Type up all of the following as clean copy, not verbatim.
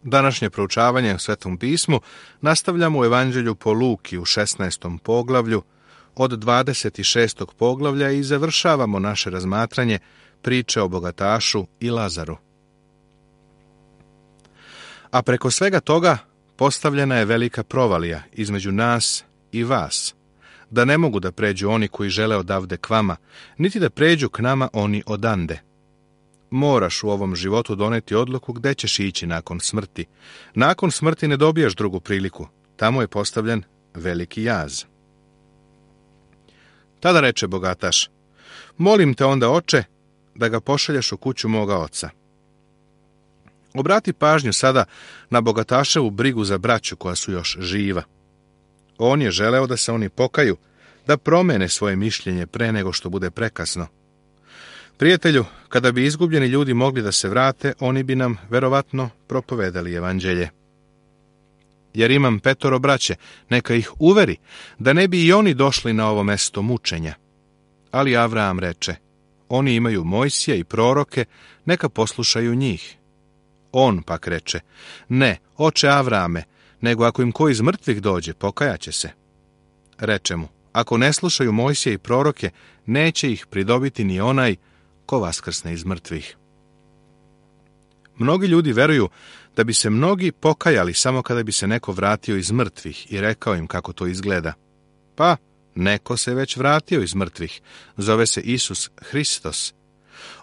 Današnje proučavanje u Svetom pismu nastavljamo u Evanđelju po Luki u 16. poglavlju od 26. poglavlja i završavamo naše razmatranje priče o bogatašu i Lazaru. A preko svega toga postavljena je velika provalija između nas i vas, da ne mogu da pređu oni koji žele odavde k vama, niti da pređu k nama oni odande. Moraš u ovom životu doneti odluku gde ćeš ići nakon smrti. Nakon smrti ne dobijaš drugu priliku. Tamo je postavljen veliki jaz. Tada reče bogataš: molim te onda, oče, da ga pošalješ u kuću moga oca. Obrati pažnju sada na bogataševu brigu za braću koja su još živa. On je želeo da se oni pokaju, da promene svoje mišljenje pre nego što bude prekasno. Prijatelju, kada bi izgubljeni ljudi mogli da se vrate, oni bi nam verovatno propovedali evanđelje. Jer imam 5 braće, neka ih uveri, da ne bi i oni došli na ovo mesto mučenja. Ali Avraam reče: oni imaju Mojsija i proroke, neka poslušaju njih. On pak reče: ne, oče Avraame, nego ako im ko iz mrtvih dođe, pokajaće se. Reče mu: ako ne slušaju Mojsija i proroke, neće ih pridobiti ni onaj ko vaskrsne iz mrtvih. Mnogi ljudi veruju da bi se mnogi pokajali samo kada bi se neko vratio iz mrtvih i rekao im kako to izgleda. Pa, neko se već vratio iz mrtvih, zove se Isus Hristos.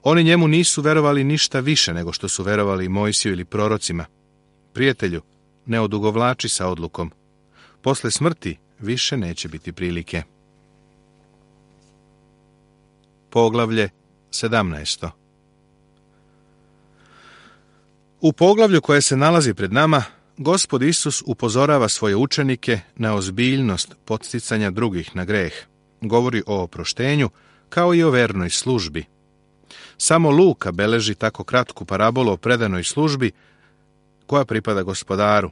Oni njemu nisu verovali ništa više nego što su verovali Mojsiju ili prorocima. Prijatelju, ne odugovlači sa odlukom. Posle smrti više neće biti prilike. Poglavlje 17. U poglavlju koje se nalazi pred nama, Gospod Isus upozorava svoje učenike na ozbiljnost podsticanja drugih na greh. Govori o oproštenju, kao i o vernoj službi. Samo Luka beleži tako kratku parabolu o predanoj službi koja pripada Gospodaru.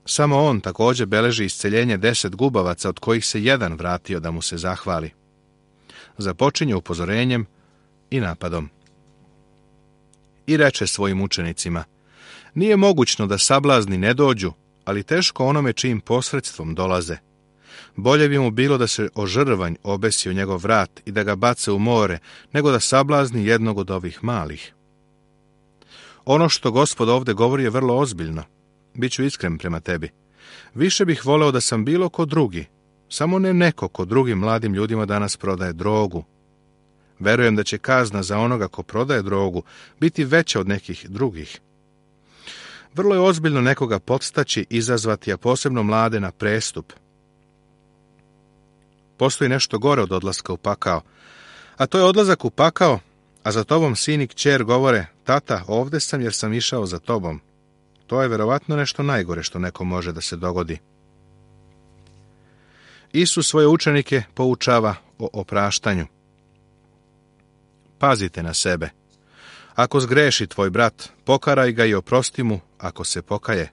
Samo on također beleži isceljenje 10 gubavaca, od kojih se jedan vratio da mu se zahvali. Započinje upozorenjem i napadom. I reče svojim učenicima: nije mogućno da sablazni ne dođu, ali teško onome čijim posredstvom dolaze. Bolje bi mu bilo da se o žrvanj obesi o njegov vrat i da ga bace u more, nego da sablazni jednog od ovih malih. Ono što Gospod ovdje govori je vrlo ozbiljno. Biću iskren prema tebi. Više bih voleo da sam bilo ko drugi, samo ne neko ko drugim mladim ljudima danas prodaje drogu. Verujem da će kazna za onoga ko prodaje drogu biti veća od nekih drugih. Vrlo je ozbiljno nekoga podstaći, izazvati, a posebno mlade, na prestup. Postoji nešto gore od odlaska u pakao, a to je odlazak u pakao, a za tobom sin i kćer govore: tata, ovde sam jer sam išao za tobom. To je verovatno nešto najgore što neko može da se dogodi. Isus svoje učenike poučava o opraštanju. Pazite na sebe. Ako zgreši tvoj brat, pokaraj ga i oprosti mu ako se pokaje.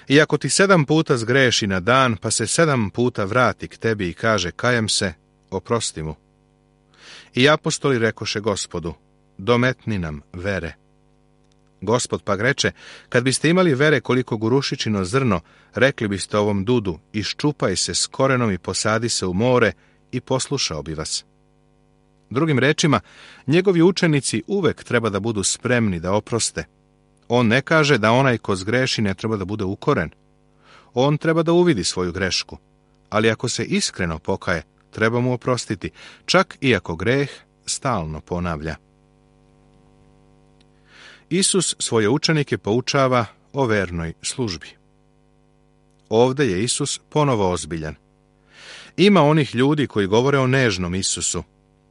I ako ti 7 puta zgreši na dan, pa se 7 puta vrati k tebi i kaže: kajem se, oprosti mu. I apostoli rekoše Gospodu: dometni nam vere. Gospod pak reče: kad biste imali vere koliko gurušičino zrno, rekli biste ovom dudu: iščupaj se s korenom i posadi se u more, i poslušao bi vas. Drugim rečima, njegovi učenici uvek treba da budu spremni da oproste. On ne kaže da onaj ko zgreši ne treba da bude ukoren. On treba da uvidi svoju grešku, ali ako se iskreno pokaje, treba mu oprostiti, čak i ako greh stalno ponavlja. Isus svoje učenike poučava o vernoj službi. Ovdje je Isus ponovo ozbiljan. Ima onih ljudi koji govore o nežnom Isusu,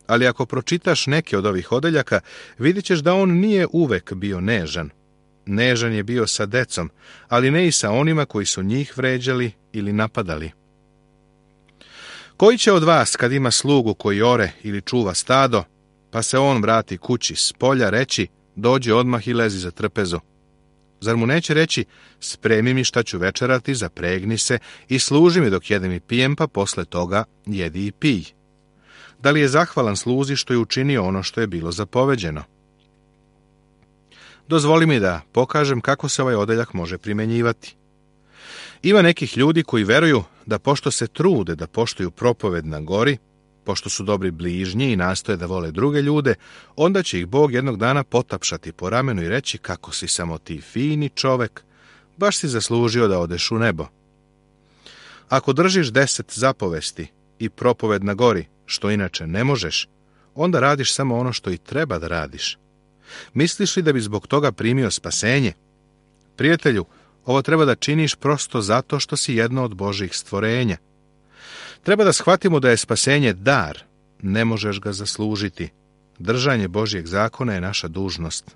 ali ako pročitaš neke od ovih odeljaka, vidit ćeš da on nije uvek bio nežan. Nežan je bio sa decom, ali ne i sa onima koji su njih vređali ili napadali. Koji će od vas, kad ima slugu koji ore ili čuva stado, pa se on vrati kući s polja, reći: dođi odmah i lezi za trpezu? Zar mu neće reći: spremi mi šta ću večerati, zapregni se i služi mi dok jedem i pijem, pa posle toga jedi i pij? Da li je zahvalan sluzi što je učinio ono što je bilo zapoveđeno? Dozvoli mi da pokažem kako se ovaj odeljak može primjenjivati. Ima nekih ljudi koji veruju da pošto se trude da poštuju propoved na gori, pošto su dobri bližnji i nastoje da vole druge ljude, onda će ih Bog jednog dana potapšati po ramenu i reći kako si samo ti fini čovek, baš si zaslužio da odeš u nebo. Ako držiš 10 zapovesti i propoved na gori, što inače ne možeš, onda radiš samo ono što i treba da radiš. Misliš li da bi zbog toga primio spasenje? Prijatelju, ovo treba da činiš prosto zato što si jedno od Božjih stvorenja. Treba da shvatimo da je spasenje dar, ne možeš ga zaslužiti. Držanje Božjeg zakona je naša dužnost.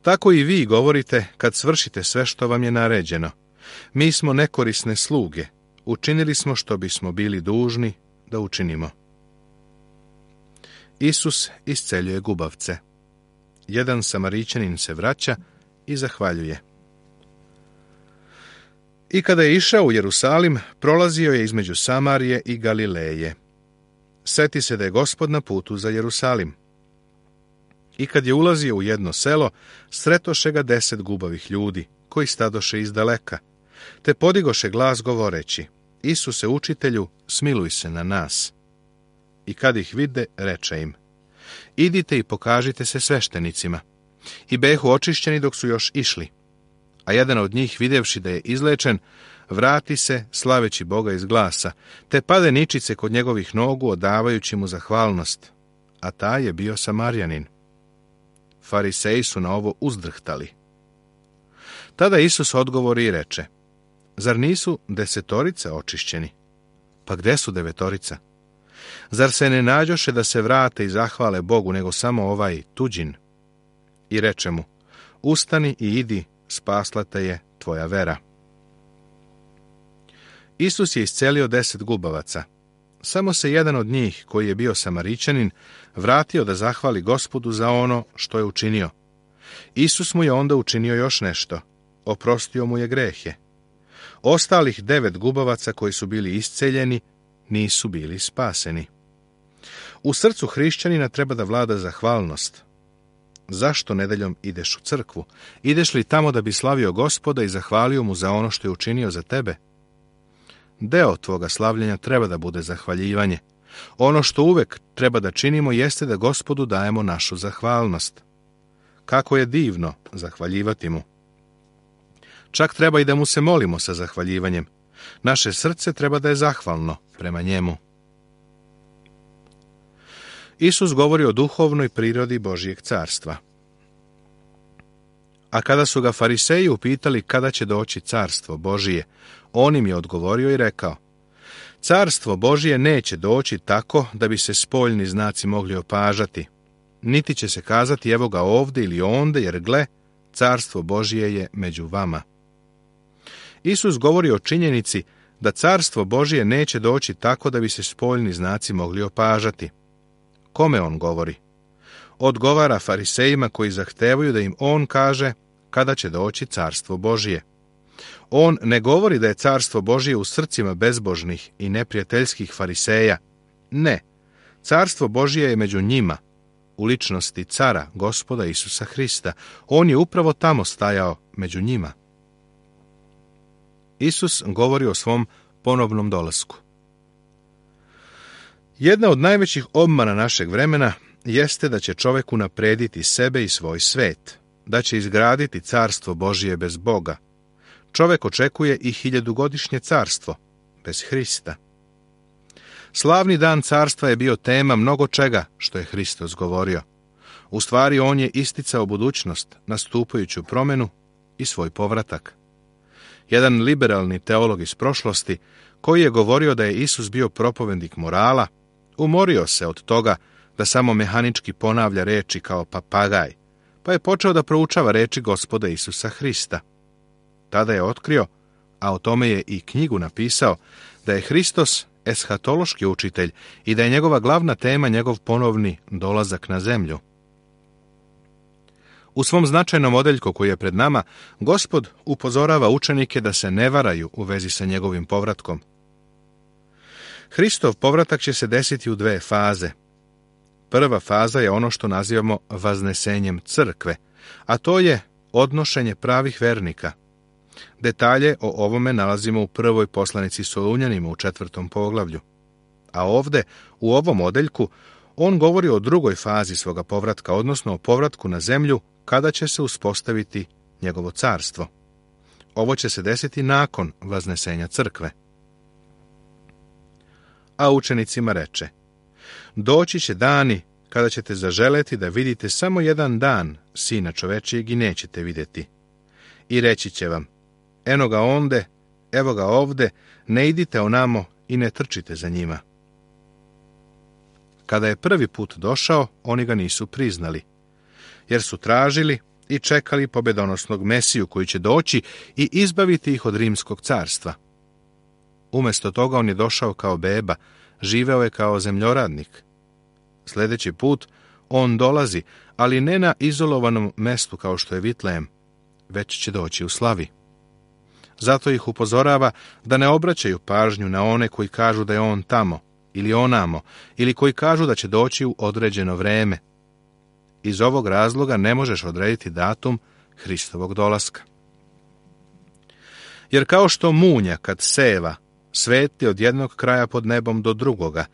Tako i vi govorite kad svršite sve što vam je naređeno. Mi smo nekorisne sluge, učinili smo što bismo bili dužni da učinimo. Isus isceljuje gubavce. Jedan Samarićanin se vraća i zahvaljuje. I kada je išao u Jerusalim, prolazio je između Samarije i Galileje. Seti se da je Gospod na putu za Jerusalim. I kad je ulazio u jedno selo, sretoše ga 10 gubavih ljudi, koji stadoše iz daleka, te podigoše glas govoreći: Isuse, učitelju, smiluj se na nas. I kad ih vide, reče im: idite i pokažite se sveštenicima. I behu očišćeni dok su još išli. A jedan od njih, videvši da je izlečen, vrati se, slaveći Boga iz glasa, te pade ničice kod njegovih nogu, odavajući mu zahvalnost. A taj je bio Samarjanin. Fariseji su na ovo uzdrhtali. Tada Isus odgovori i reče: zar nisu 10 očišćeni? Pa gde su 9? Zar se ne nađoše da se vrate i zahvale Bogu, nego samo ovaj tuđin? I reče mu: ustani i idi, spasla te je tvoja vera. Isus je iscelio 10 gubavaca. Samo se jedan od njih, koji je bio Samarićanin, vratio da zahvali Gospodu za ono što je učinio. Isus mu je onda učinio još nešto. Oprostio mu je grehe. Ostalih 9 gubavaca koji su bili isceljeni nisu bili spaseni. U srcu hrišćanina treba da vlada zahvalnost. Zašto nedeljom ideš u crkvu? Ideš li tamo da bi slavio Gospoda i zahvalio mu za ono što je učinio za tebe? Deo tvoga slavljenja treba da bude zahvaljivanje. Ono što uvek treba da činimo jeste da Gospodu dajemo našu zahvalnost. Kako je divno zahvaljivati mu. Čak treba i da mu se molimo sa zahvaljivanjem. Naše srce treba da je zahvalno prema njemu. Isus govori o duhovnoj prirodi Božjeg carstva. A kada su ga fariseji upitali kada će doći carstvo Božije, on im je odgovorio i rekao: carstvo Božije neće doći tako da bi se spoljni znaci mogli opažati, niti će se kazati evo ga ovde ili onde, jer gle, carstvo Božije je među vama. Isus govori o činjenici da carstvo Božije neće doći tako da bi se spoljni znaci mogli opažati. Kome on govori? Odgovara farisejima koji zahtevaju da im on kaže kada će doći carstvo Božije. On ne govori da je carstvo Božije u srcima bezbožnih i neprijateljskih fariseja. Ne, carstvo Božije je među njima, u ličnosti cara, Gospoda Isusa Hrista. On je upravo tamo stajao među njima. Isus govori o svom ponovnom dolasku. Jedna od najvećih obmana našeg vremena jeste da će čovjek unaprediti sebe i svoj svet, da će izgraditi carstvo Božije bez Boga. Čovjek očekuje i 1000-godišnje carstvo bez Hrista. Slavni dan carstva je bio tema mnogo čega što je Hristos govorio. U stvari on je isticao budućnost, nastupajuću promjenu i svoj povratak. Jedan liberalni teolog iz prošlosti, koji je govorio da je Isus bio propovednik morala, umorio se od toga da samo mehanički ponavlja reči kao papagaj, pa je počeo da proučava reči Gospoda Isusa Hrista. Tada je otkrio, a o tome je i knjigu napisao, da je Hristos eshatološki učitelj i da je njegova glavna tema njegov ponovni dolazak na zemlju. U svom značajnom odeljku koji je pred nama, Gospod upozorava učenike da se ne varaju u vezi sa njegovim povratkom. Hristov povratak će se desiti u 2 faze. Prva faza je ono što nazivamo vaznesenjem crkve, a to je odnošenje pravih vernika. Detalje o ovome nalazimo u prvoj poslanici Solunjanima u 4. poglavlju. A ovde, u ovom odeljku, on govori o drugoj fazi svoga povratka, odnosno o povratku na zemlju kada će se uspostaviti njegovo carstvo. Ovo će se desiti nakon vaznesenja crkve. A učenicima reče: doći će dani kada ćete zaželeti da vidite samo jedan dan Sina čovečijeg i nećete vidjeti. I reći će vam: eno ga onde, evo ga ovde, ne idite onamo i ne trčite za njima. Kada je prvi put došao, oni ga nisu priznali, jer su tražili i čekali pobedonosnog Mesiju koji će doći i izbaviti ih od rimskog carstva. Umjesto toga on je došao kao beba, živeo je kao zemljoradnik. Sljedeći put on dolazi, ali ne na izolovanom mestu kao što je Vitlejem, već će doći u slavi. Zato ih upozorava da ne obraćaju pažnju na one koji kažu da je on tamo ili onamo, ili koji kažu da će doći u određeno vreme. Iz ovog razloga ne možeš odrediti datum Hristovog dolaska. Jer kao što munja kad seva svetli od jednog kraja pod nebom do drugoga,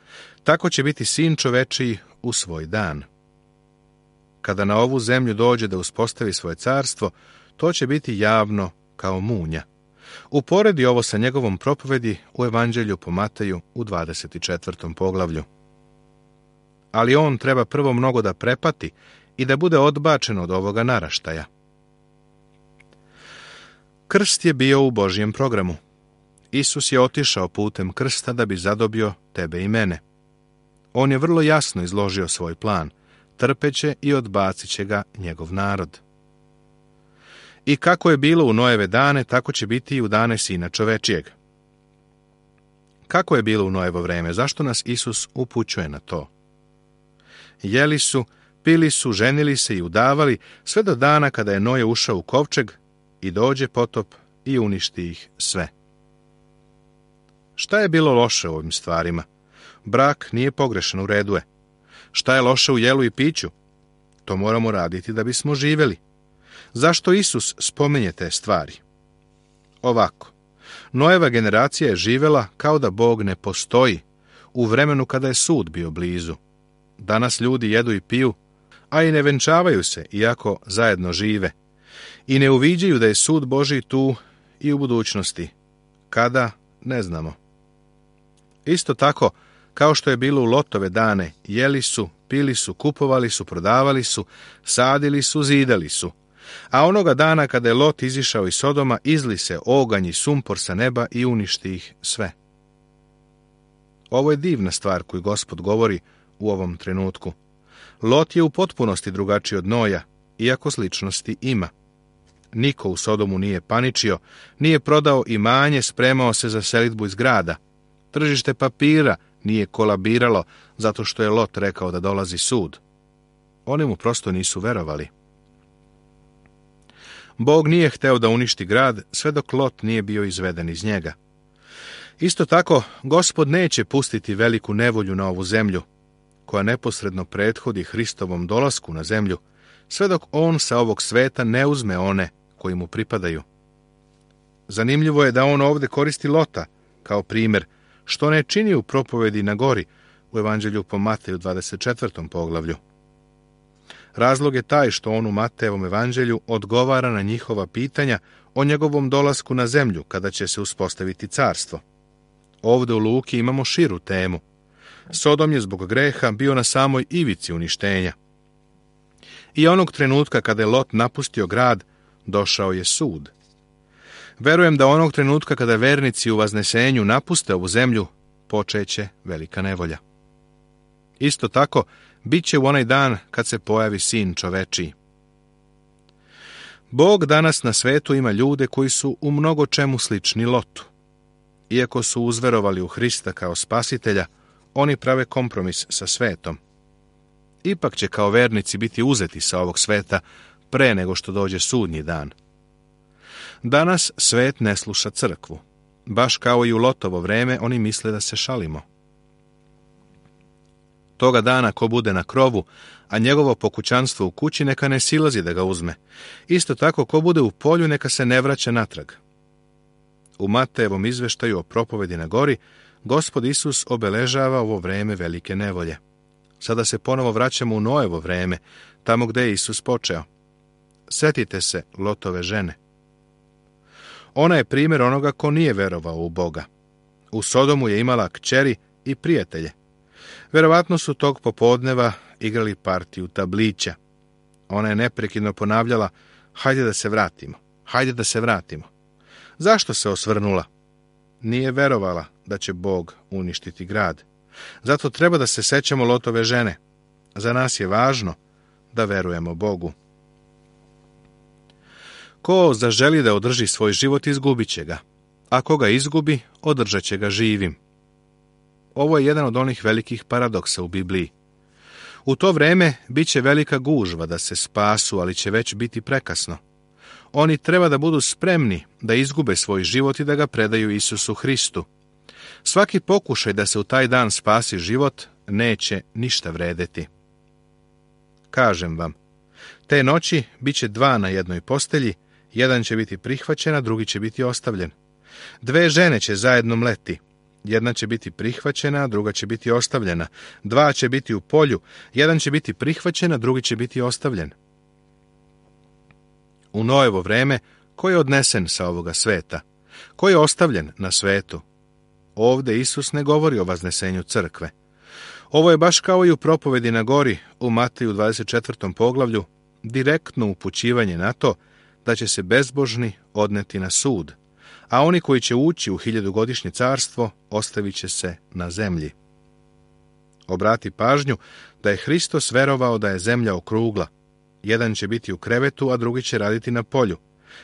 tako će biti Sin čovečiji u svoj dan. Kada na ovu zemlju dođe da uspostavi svoje carstvo, to će biti javno kao munja. Uporedi ovo sa njegovom propovedi u Evanđelju po Mateju u 24. poglavlju. Ali on treba prvo mnogo da prepati i da bude odbačen od ovoga naraštaja. Krst je bio u Božjem programu. Isus je otišao putem krsta da bi zadobio tebe i mene. On je vrlo jasno izložio svoj plan, trpeće i odbacit će ga njegov narod. I kako je bilo u Noeve dane, tako će biti i u dane Sina čovečijeg. Kako je bilo u Noevo vreme? Zašto nas Isus upućuje na to? Jeli su, pili su, ženili se i udavali, sve do dana kada je Noje ušao u kovčeg i dođe potop i uništi ih sve. Šta je bilo loše u ovim stvarima? Brak nije pogrešan, u redu je. Šta je loše u jelu i piću? To moramo raditi da bismo živjeli. Zašto Isus spominje te stvari? Ovako, Noeva generacija je živjela kao da Bog ne postoji, u vremenu kada je sud bio blizu. Danas ljudi jedu i piju, a i ne venčavaju se, iako zajedno žive. I ne uviđaju da je sud Božji tu i u budućnosti. Kada, ne znamo. Isto tako, kao što je bilo u Lotove dane, jeli su, pili su, kupovali su, prodavali su, sadili su, zidali su. A onoga dana kada je Lot izišao iz Sodoma, izli se oganj i sumpor sa neba i uništi ih sve. Ovo je divna stvar koju Gospod govori u ovom trenutku. Lot je u potpunosti drugačiji od Noja, iako sličnosti ima. Niko u Sodomu nije paničio, nije prodao imanje, spremao se za selidbu iz grada. Tržište papira nije kolabiralo zato što je Lot rekao da dolazi sud. Oni mu prosto nisu verovali. Bog nije hteo da uništi grad sve dok Lot nije bio izveden iz njega. Isto tako, Gospod neće pustiti veliku nevolju na ovu zemlju, koja neposredno prethodi Hristovom dolasku na zemlju, sve dok on sa ovog sveta ne uzme one koji mu pripadaju. Zanimljivo je da on ovdje koristi Lota kao primjer, što ne čini u propovedi na gori u Evanđelju po Mateju 24. poglavlju. Razlog je taj što on u Matejevom evanđelju odgovara na njihova pitanja o njegovom dolasku na zemlju kada će se uspostaviti carstvo. Ovdje u Luki imamo širu temu. Sodom je zbog greha bio na samoj ivici uništenja. I onog trenutka kada je Lot napustio grad, došao je sud. Verujem da onog trenutka kada vernici u vaznesenju napuste ovu zemlju, počeće velika nevolja. Isto tako, bit će u onaj dan kad se pojavi Sin čovečiji. Bog danas na svetu ima ljude koji su u mnogo čemu slični Lotu. Iako su uzverovali u Hrista kao spasitelja, oni prave kompromis sa svetom. Ipak će kao vernici biti uzeti sa ovog sveta pre nego što dođe sudnji dan. Danas svet ne sluša crkvu. Baš kao i u Lotovo vreme, oni misle da se šalimo. Toga dana ko bude na krovu, a njegovo pokućanstvo u kući, neka ne silazi da ga uzme. Isto tako, ko bude u polju, neka se ne vraća natrag. U Matejevom izveštaju o propovedi na gori, Gospod Isus obeležava ovo vreme velike nevolje. Sada se ponovo vraćamo u Noevo vreme, tamo gde je Isus počeo. Sjetite se Lotove žene. Ona je primjer onoga ko nije verovao u Boga. U Sodomu je imala kćeri i prijatelje. Verovatno su tog popodneva igrali partiju tablića. Ona je neprekidno ponavljala: hajde da se vratimo, hajde da se vratimo. Zašto se osvrnula? Nije verovala da će Bog uništiti grad. Zato treba da se sećamo Lotove žene. Za nas je važno da verujemo Bogu. Ko zaželi da održi svoj život, izgubit će ga. A ko ga izgubi, održat će ga živim. Ovo je jedan od onih velikih paradoksa u Bibliji. U to vreme bit će velika gužva da se spasu, ali će već biti prekasno. Oni treba da budu spremni da izgube svoj život i da ga predaju Isusu Hristu. Svaki pokušaj da se u taj dan spasi život neće ništa vredeti. Kažem vam, te noći bit će 2 na jednoj postelji, jedan će biti prihvaćen, a drugi će biti ostavljen. 2 žene će zajedno mleti, jedna će biti prihvaćena, a druga će biti ostavljena. 2 će biti u polju, jedan će biti prihvaćen, a drugi će biti ostavljen. U Noevo vreme, ko je odnesen sa ovoga sveta? Ko je ostavljen na svetu? Ovde Isus ne govori o vaznesenju crkve. Ovo je baš kao i u propovedi na gori u Mateju 24. poglavlju, direktno upućivanje na to da će se bezbožni odneti na sud, a oni koji će ući u 1000-godišnje carstvo ostavit će se na zemlji. Obrati pažnju da je Hristos verovao da je zemlja okrugla. Jedan će biti u krevetu, a drugi će raditi na polju.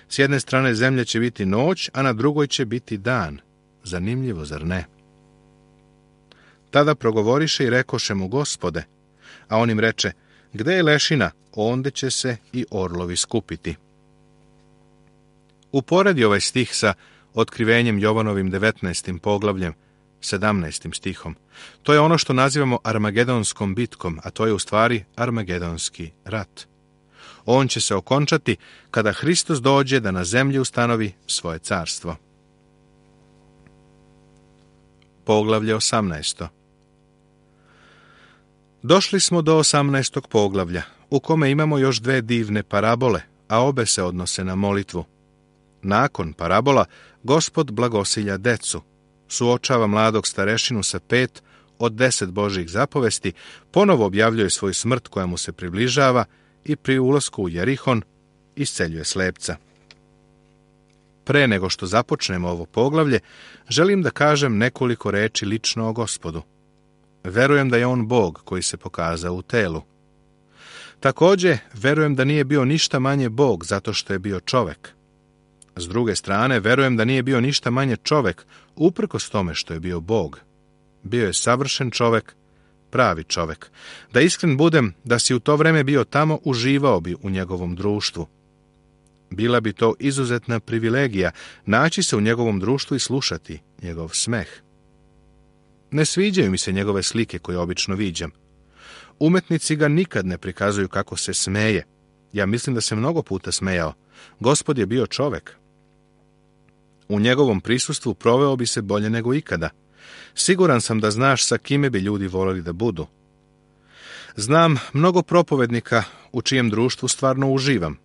S jedne strane zemlje će biti noć, a na drugoj će biti dan. Zanimljivo, zar ne? Tada progovoriše i rekoše mu: Gospode, a on im reče: gde je lešina, onde će se i orlovi skupiti. Uporedi ovaj stih sa otkrivenjem Jovanovim 19. poglavljem, 17. stihom. To je ono što nazivamo Armagedonskom bitkom, a to je u stvari Armagedonski rat. On će se okončati kada Hristos dođe da na zemlji ustanovi svoje carstvo. Poglavlje 18. Došli smo do 18. poglavlja, u kome imamo još 2 divne parabole, a obe se odnose na molitvu. Nakon parabola, Gospod blagosilja decu, suočava mladog starešinu sa 5 od 10 Božjih zapovesti, ponovo objavljuje svoju smrt koja mu se približava i pri ulasku u Jerihon isceljuje slepca. Pre nego što započnemo ovo poglavlje, želim da kažem nekoliko reči lično o Gospodu. Verujem da je on Bog koji se pokazao u telu. Također, verujem da nije bio ništa manje Bog zato što je bio čovek. S druge strane, verujem da nije bio ništa manje čovek uprkos tome što je bio Bog. Bio je savršen čovek, pravi čovek. Da iskren budem, da si u to vreme bio tamo, uživao bi u njegovom društvu. Bila bi to izuzetna privilegija naći se u njegovom društvu i slušati njegov smeh. Ne sviđaju mi se njegove slike koje obično viđam. Umetnici ga nikad ne prikazuju kako se smeje. Ja mislim da se mnogo puta smejao. Gospod je bio čovek. U njegovom prisustvu proveo bi se bolje nego ikada. Siguran sam da znaš sa kime bi ljudi voleli da budu. Znam mnogo propovednika u čijem društvu stvarno uživam.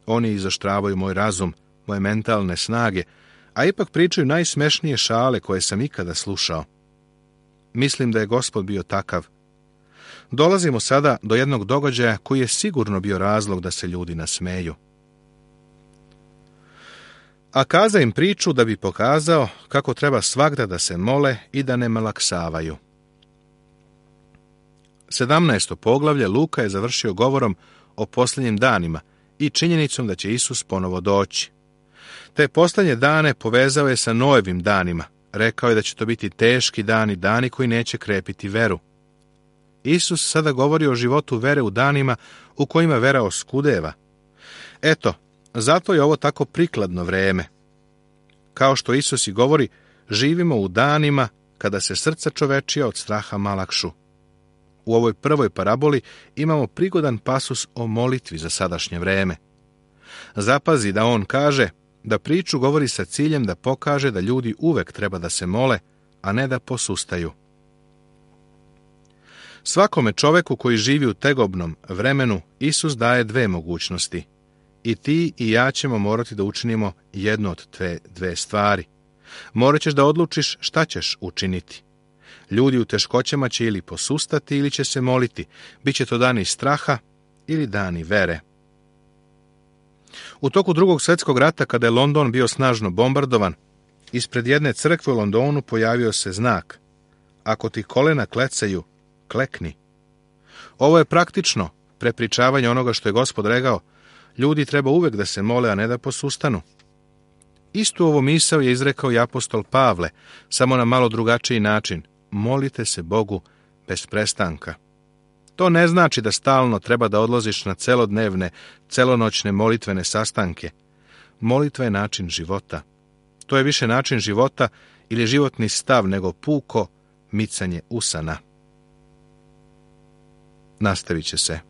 Oni izoštravaju moj razum, moje mentalne snage, a ipak pričaju najsmešnije šale koje sam ikada slušao. Mislim da je Gospod bio takav. Dolazimo sada do jednog događaja koji je sigurno bio razlog da se ljudi nasmeju. A kaza im priču da bi pokazao kako treba svagda da se mole i da ne malaksavaju. 17. poglavlje Luka je završio govorom o posljednjim danima i činjenicom da će Isus ponovo doći. Te posljednje dane povezao je sa Noevim danima. Rekao je da će to biti teški dani, dani koji neće krepiti veru. Isus sada govori o životu vere u danima u kojima vera oskudeva. Eto, zato je ovo tako prikladno vreme. Kao što Isus i govori, živimo u danima kada se srca čovečija od straha malakšu. U ovoj prvoj paraboli imamo prigodan pasus o molitvi za sadašnje vreme. Zapazi da on kaže da priču govori sa ciljem da pokaže da ljudi uvek treba da se mole, a ne da posustaju. Svakome čoveku koji živi u tegobnom vremenu Isus daje dve mogućnosti. I ti i ja ćemo morati da učinimo jednu od te dve stvari. Morat ćeš da odlučiš šta ćeš učiniti. Ljudi u teškoćama će ili posustati ili će se moliti. Biće to dani straha ili dani vere. U toku Drugog svjetskog rata, kada je London bio snažno bombardovan, ispred jedne crkve u Londonu pojavio se znak: ako ti kolena klecaju, klekni. Ovo je praktično prepričavanje onoga što je Gospod rekao: ljudi treba uvek da se mole, a ne da posustanu. Istu ovo misao je izrekao i apostol Pavle, samo na malo drugačiji način: molite se Bogu bez prestanka. To ne znači da stalno treba da odlaziš na celodnevne, celonoćne molitvene sastanke. Molitva je način života. To je više način života ili životni stav nego puko micanje usana. Nastavit će se.